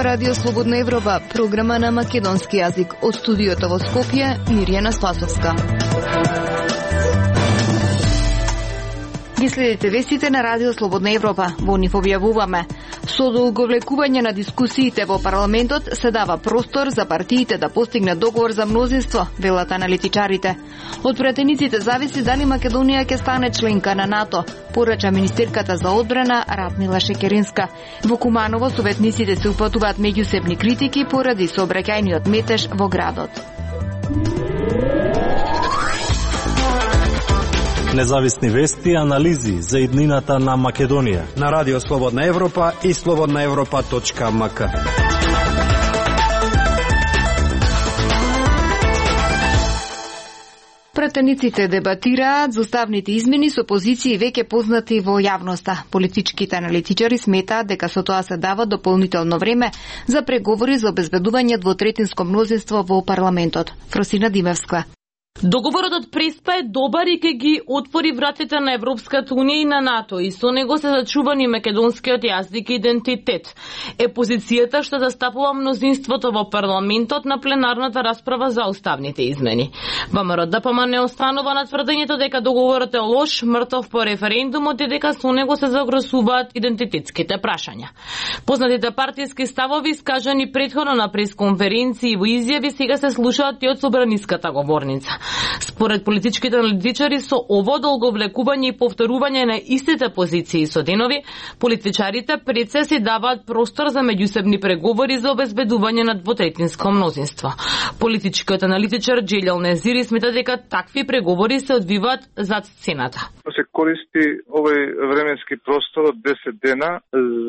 Радио Слободна Европа, програма на македонски јазик. Од студиото во Скопје, Мирјана Спасовска. Ги следите вестите на Радио Слободна Европа. Во нив објавуваме: со долговлекување на дискусиите во парламентот се дава простор за партиите да постигнат договор за мнозинство, велат аналитичарите. Од пратениците зависи дали Македонија ќе стане членка на НАТО, порача министерката за одбрана Радмила Шекеринска. Во Куманово советниците се упатуваат меѓусебни критики поради сообраќајниот метеж во градот. Независни вести и анализи за иднината на Македонија на Радио Слободна Европа и slobodnaevropa.mk. Пратениците дебатираат за уставните измени со позиции веќе познати во јавноста. Политичките аналитичари сметаат дека со тоа се дава дополнително време за преговори за обезбедување двотретинско мнозинство во парламентот. Фросина Димевска. Договорот од Преспа е добар и ќе ги отвори вратите на Европската унија и на НАТО, и со него се зачувани македонскиот јазик и идентитет. Е позицијата што застапува мнозинството во парламентот на пленарната расправа за уставните измени. ВМРО-ДПМ не останува на тврдењето дека договорот е лош, мртов по референдумот и дека со него се загрозуваат идентитетските прашања. Познатите партиски ставови искажани претходно на пресконференции и во изјави сега се слушаат и од собраниската говорница. Според политичките аналитичари, со ово долговлекување и повторување на истите позиции со денови, политичарите пред се си даваат простор за меѓусебни преговори за обезбедување на двотретинско мнозинство. Политичкиот аналитичар Джелјал Незири смета дека такви преговори се одвиваат зад сцената. Се користи овој временски простор од 10 дена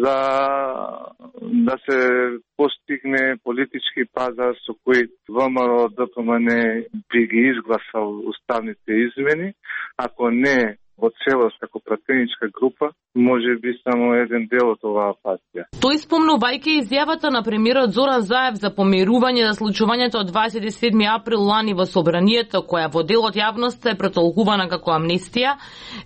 за да се постигне политички пазар со кој ВМРО-ДПМН би ги изгласал уставните измени, ако не во целост како пратеничка група, може би само еден дел од оваа партија. Тој спомнувајќи изјавата на премиерот Зоран Заев за помирување за случувањето од 27 април лани во Собранието, која во дел од јавноста е претолкувана како амнестија,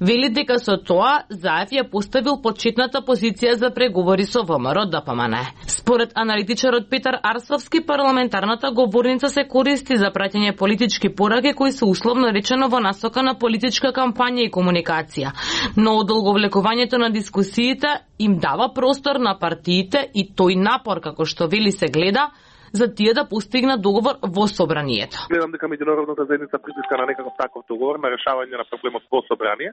вели дека со тоа Заев ја поставил почетната позиција за преговори со ВМРО-ДПМН. Според аналитичарот Петар Арсовски, парламентарната говорница се користи за праќање политички пораки кои се условно речено во насока на политичка кампања и комуникација, но одолговлекувањето на дискусиите им дава простор на партиите и тој напор, како што вели, се гледа за тие да постигнат договор во Собранието. Гледам дека меѓународната заедница притиска на некаков таков договор на решавање на проблемот во Собрание.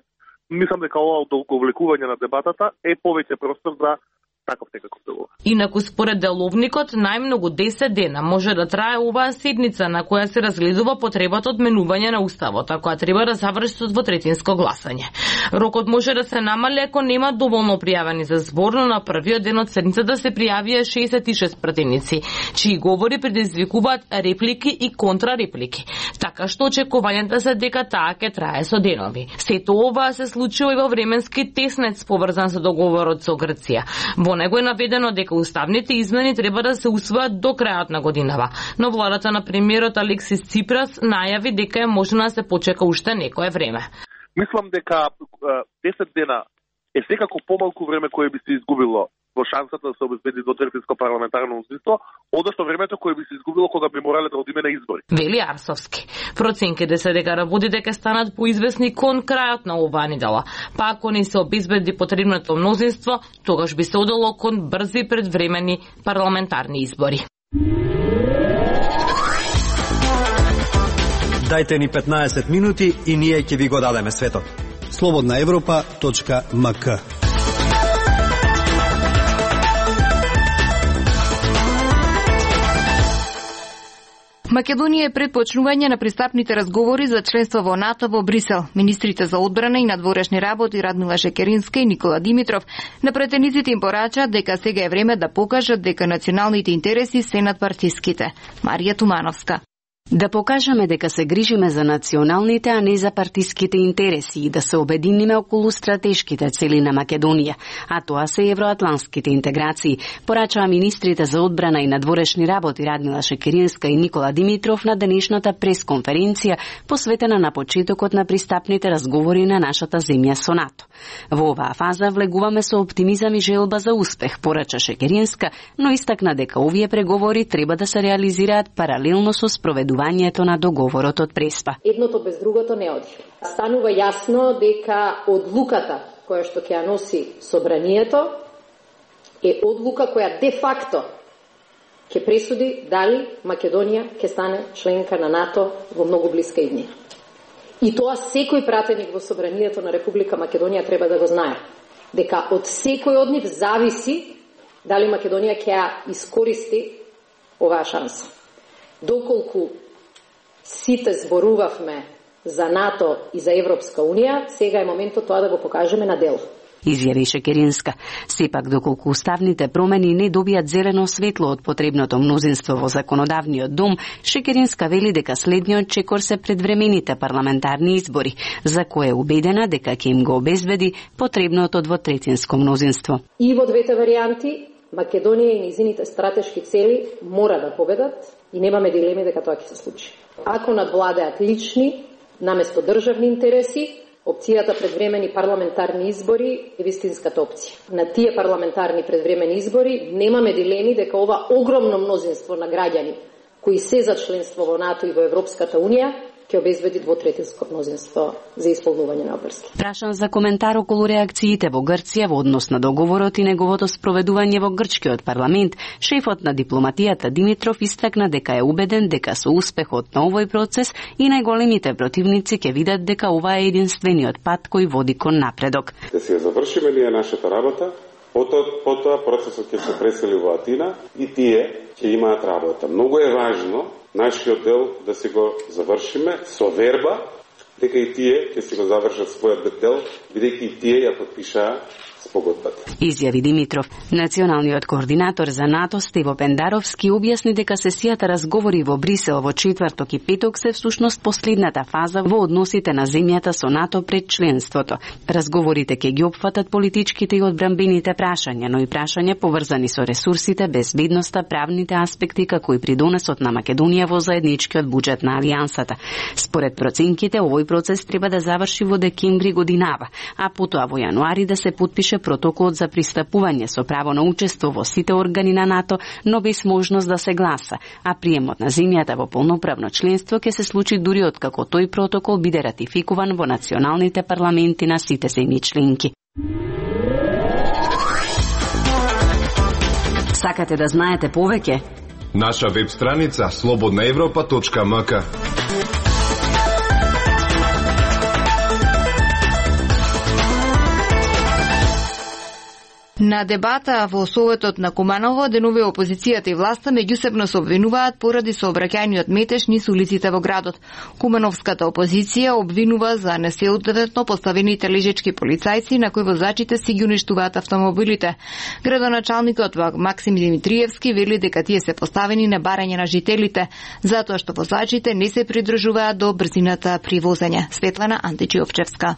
Мислам дека ова одолговлекување на дебатата е повеќе простор за таков некаков договор. Инаку според деловникот, најмногу 10 дена може да трае оваа седница на која се разгледува потребата од менување на уставот, а која треба да заврши со двотретинско гласање. Рокот може да се намали ако нема доволно пријавени за збор, но на првиот ден од седницата се пријавија 66 пратеници, чии говори предизвикуваат реплики и контрареплики. Така што очекувањата се дека таа ќе трае со денови. Сето ова се случува и во временски теснец поврзан со договорот со Грција. Во него е наведено дека уставните измени треба да се усвојат до крајот на годинава, но владата на премиерот Алексис Ципрас најави дека е можно да се почека уште некое време. Мислам дека 10 дена е секако помалку време кое би се изгубило во шансата да се обезбеди двотретинско парламентарно мнозинство, одошто времето кое би се изгубило кога би морале да одиме на избори. Вели Арсовски. Проценките се дека работите ќе станат поизвестни кон крајот на оваа недела. Па ако не се обезбеди потребното мнозинство, тогаш би се одело кон брзи предвремени парламентарни избори. Дајте ни 15 минути и ние ќе ви го дадеме светот. slobodnaevropa.mk. Македонија е пред почнување на пристапните разговори за членство во НАТО во Брисел. Министрите за одбрана и надворешни работи Радмила Шекеринска и Никола Димитров на претениците им порачаат дека сега е време да покажат дека националните интереси се над партиските. Марија Тумановска. Да покажеме дека се грижиме за националните, а не за партиските интереси и да се обединиме околу стратешките цели на Македонија, а тоа се евроатлантските интеграции, порачаа министрите за одбрана и надворешни работи Радмила Шекеринска и Никола Димитров на денешната пресконференција посветена на почетокот на пристапните разговори на нашата земја со НАТО. Во оваа фаза влегуваме со оптимизам и желба за успех, порача Шекеринска, но истакна дека овие преговори треба да се реализираат паралелно со спроведувањето на договорот од Преспа. Едното без другото не оди. Станува јасно дека одлуката која што ќе ја носи собранието е одлука која де факто ќе пресуди дали Македонија ќе стане членка на НАТО во многу блиска иднина. И тоа секој пратеник во собранието на Република Македонија треба да го знае, дека од секој од нив зависи дали Македонија ќе ја искористи оваа шанса. Доколку сите зборувавме за НАТО и за Европска Унија, сега е моментот тоа да го покажеме на дело. Изјави Шекеринска. Сепак, доколку уставните промени не добијат зелено светло од потребното мнозинство во законодавниот дом, Шекеринска вели дека следниот чекор се предвремените парламентарни избори, за кое е убедена дека ќе им го обезбеди потребното двотретинско мнозинство. И во двете варијанти, Македонија и низините стратешки цели мора да победат и немаме дилеми дека тоа ќе се случи. Ако надвладеат лични, наместо државни интереси, опцијата предвремени парламентарни избори е вистинската опција. На тие парламентарни предвремени избори немаме дилеми дека ова огромно мнозинство на граѓани кои се за членство во НАТО и во Европската Унија ќе обезбеди двотретинско мнозинство за исполнување на обврски. Прашан за коментар околу реакциите во Грција во однос на договорот и неговото спроведување во грчкиот парламент, шефот на дипломатијата Димитров истакна дека е убеден дека со успехот на овој процес и најголемите противници ќе видат дека ова е единствениот пат кој води кон напредок. Да се завршиме ние нашата работа, потоа процесот ќе се пресели во Атина и тие ќе имаат работа. Многу е важно нашиот дел да се го завршиме со верба дека и тие ќе се го завршат својот дел, бидејќи и тие ја потпишаа спогодбата. Изјави Димитров. Националниот координатор за НАТО Стево Пендаровски објасни дека сесијата разговори во Брисел во четврток и петок се всушност последната фаза во односите на земјата со НАТО пред членството. Разговорите ќе ги опфатат политичките и одбранбените прашања, но и прашања поврзани со ресурсите, безбедноста, правните аспекти како и придонесот на Македонија во заедничкиот буџет на алијансата. Според проценките, овој процес треба да заврши во декември годинава, а потоа во јануари да се потпише протоколот за пристапување со право на учество во сите органи на НАТО, но без можност да се гласа, а приемот на земјата во полноправно членство ќе се случи дури откако тој протокол биде ратификуван во националните парламенти на сите земји членки. Сакате да знаете повеќе? Наша веб страница slobodnaevropa.mk. На дебата во Советот на Куманово, денове опозицијата и власта меѓусебно се обвинуваат поради сообраќајниот метеж низ улиците во градот. Кумановската опозиција обвинува за несоодветно поставените лежечки полицајци на кои возачите си ги уништуваат автомобилите. Градоначалникот Максим Димитриевски вели дека тие се поставени на барање на жителите, затоа што возачите не се придржуваат до брзината при возење. Светлана Античиовчевска.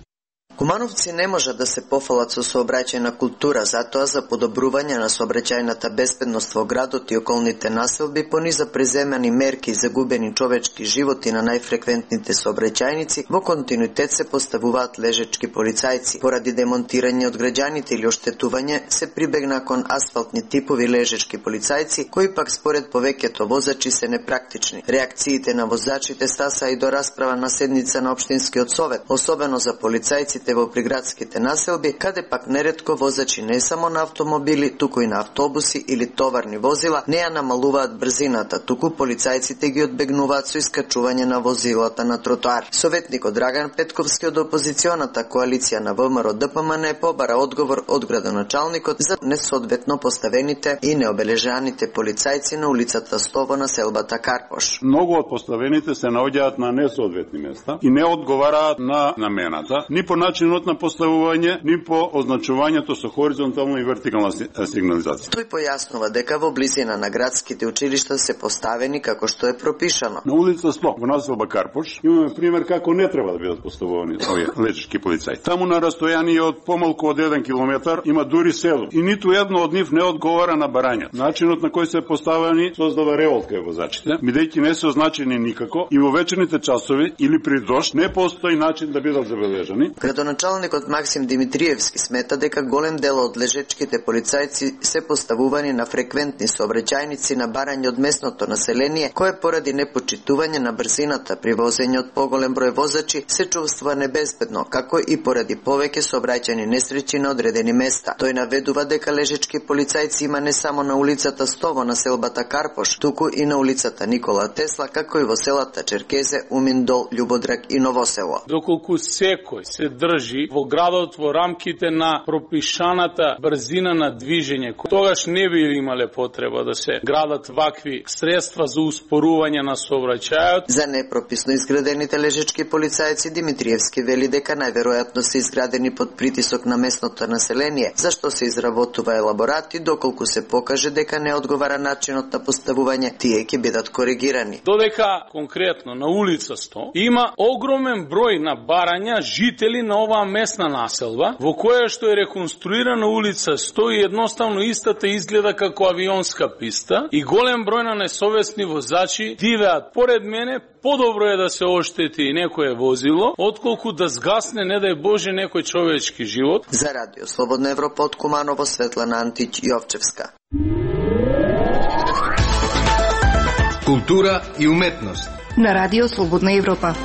Кумановци не можат да се пофалат со сообраќајна култура, затоа за подобрување на сообраќајната безбедност во градот и околните населби пониза преземани мерки за губени човечки животи на најфреквентните сообраќајници, во континуитет се поставуваат лежечки полицајци. Поради демонтирање од граѓаните или оштетување се прибегна кон асфалтни типови лежечки полицајци, кои пак според повеќето возачи се непрактични. Реакциите на возачите стаса и до расправа на седница на општинскиот совет, особено за полицајците во приградските населби, каде пак неретко возачи не само на автомобили, туку и на автобуси или товарни возила не ја намалуваат брзината, туку полицајците ги одбегнуваат со искачување на возилата на тротоар. Советникот Драган Петковски од опозиционата коалиција на ВМРО ДПМН побара одговор од градоначалникот за несоодветно поставените и необележаните полицајци на улицата Стово на селбата Карпош. Многу од поставените се наоѓаат на несоодветни места и не одговараат на намената, ни по начинот на поставување, ни по означувањето со хоризонтална и вертикална сигнализација. Тој појаснува дека во близина на градските училишта се поставени како што е пропишано. На улица 100 во населба Карпош имаме пример како не треба да бидат поставувани овие летешки полицаи. Таму на растојание од помалку од 1 километар има дури село и ниту едно од нив не одговара на барањето. Начинот на кој се поставени создава револт кај возачите, бидејќи не се означени никако и во вечерните часови или при дожд не постои начин да бидат забележани. Градоначалникот Максим Димитриевски смета дека голем дел од лежечките полицајци се поставувани на фреквентни сообраќајници на барање од местното население, кое поради непочитување на брзината при возење од поголем број возачи се чувствува небезбедно, како и поради повеќе сообраќајни несреќи на одредени места. Тој наведува дека лежечки полицајци има не само на улицата 100 во населбата Карпош, туку и на улицата Никола Тесла, како и во селата Черкезе, Уминдол, Љубодраг и Новосело. Доколку секој се држи во градот во рамките на пропишаната брзина на движење, тогаш не би имале потреба да се градат вакви средства за успорување на сообраќајот. За непрописно изградените лежечки полицајци Димитриевски вели дека најверојатно се изградени под притисок на местното население, зашто се изработува елаборати, доколку се покаже дека не одговара начинот на поставување, тие ќе бидат коригирани. Додека конкретно на улица 100 има огромен број на барања жители на оваа местна населба, во која што е реконструирана улица 100 и едноставно истата изгледа како авионска писта и голем број на несовесни возачи дивеат поред мене, подобро е да се оштети некое возило, отколку да згасне, не дај Боже, некој човечки живот. За Радио Слободна Европа од Куманово, Светлана Антич, Јовчевска. Култура и уметност на Радио Слободна Европа.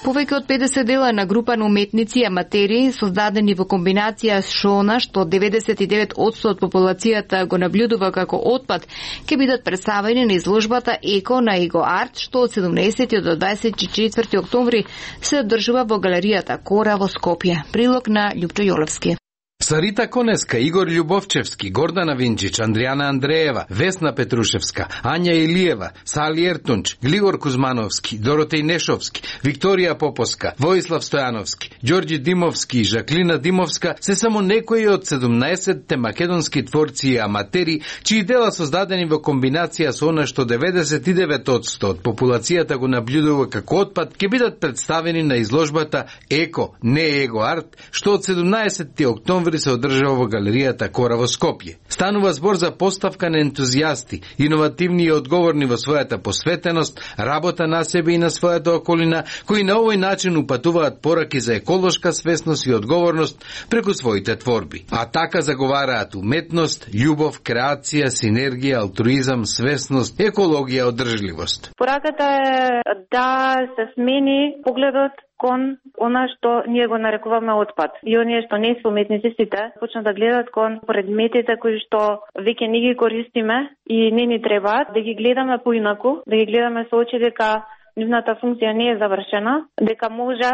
Повеќе од 50 дела на група на уметници и аматери, создадени во комбинација с шона, што 99% од популацијата го наблюдува како отпад, ќе бидат представени на изложбата Еко на Его Арт, што од 17 до 24 октомври се одржува во галеријата Кора во Скопје. Прилог на Љупчо Јолевски. Сарита Конеска, Игор Љубовчевски, Гордана Винчич, Андријана Андреева, Весна Петрушевска, Ања Илиева, Сали Ертунч, Глигор Кузмановски, Доротеј Нешовски, Викторија Попоска, Воислав Стојановски, Ѓорѓи Димовски и Жаклина Димовска се само некои од 17 македонски творци и аматери, чии дела создадени во комбинација со она што 99% од популацијата го наблюдува како отпад, ќе бидат представени на изложбата Еко, не Его Арт, што од 17 октомври се одржава во галеријата Кора во Скопје. Станува збор за поставка на ентузијасти, иновативни и одговорни во својата посветеност, работа на себе и на својата околина, кои на овој начин упатуваат пораки за еколошка свесност и одговорност преку своите творби. А така заговараат уметност, љубов, креација, синергија, алтруизам, свесност, екологија, одржливост. Пораката е да се смени погледот кон она што ние го нарекуваме отпад. И оние што не се уметници сите почнат да гледат кон предметите кои што веќе не ги користиме и не ни требаат, да ги гледаме поинаку, да ги гледаме со очи дека нивната функција не е завршена, дека може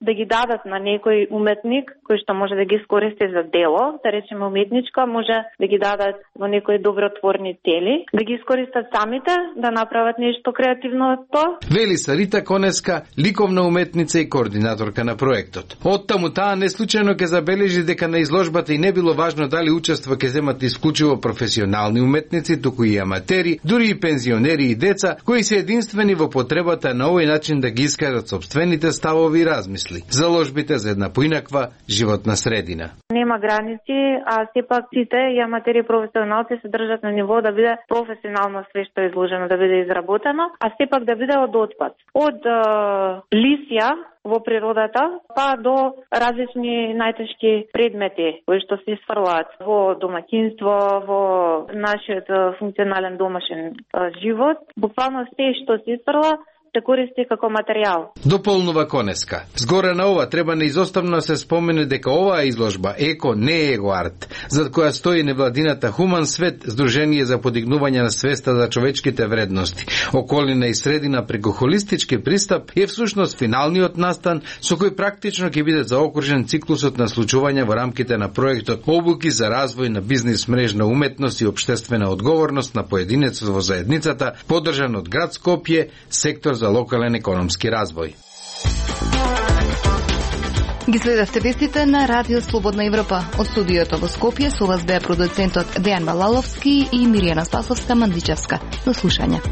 да ги дадат на некој уметник кој што може да ги искористи за дело, да речеме уметничко, може да ги дадат во некои добротворни цели, да ги искористат самите, да направат нешто креативно од тоа. Вели Сарита Конеска, ликовна уметница и координаторка на проектот. Оттаму таа неслучајно ќе забележи дека на изложбата и не било важно дали учество ќе земат исклучиво професионални уметници, туку и аматери, дури и пензионери и деца, кои се единствени во потребата на овој начин да ги искажат собствените ставови и размисли. Заложбите за една поинаква животна средина. Нема граници, а сепак сите и аматери и професионалци се држат на ниво да биде професионално све што е изложено, да биде изработено, а сепак да биде од отпад. Од лисја во природата, па до различни најтешки предмети кои што се сфрлаат во домаќинство, во нашиот функционален домашен живот. Буквално се што се сфрла се користи како материјал. Дополнува Конеска. Згоре на ова треба неизоставно се спомене дека оваа изложба Еко не Его Арт, зад која стои невладината Хуман Свет, Сдружение за подигнување на свеста за човечките вредности, околина и средина преку холистички пристап, е всушност финалниот настан со кој практично ќе биде заокружен циклусот на случувања во рамките на проектот Обуки за развој на бизнис мрежна уметност и општествена одговорност на поединецот во заедницата, поддржан од град Скопје, сектор за локален економски развој. Ги следевте вестите на Радио Слободна Европа. Од студиото во Скопје со вас беа продуцентот Дејан Балаловски и Миријана Спасовска-Мандличевска. До слушање.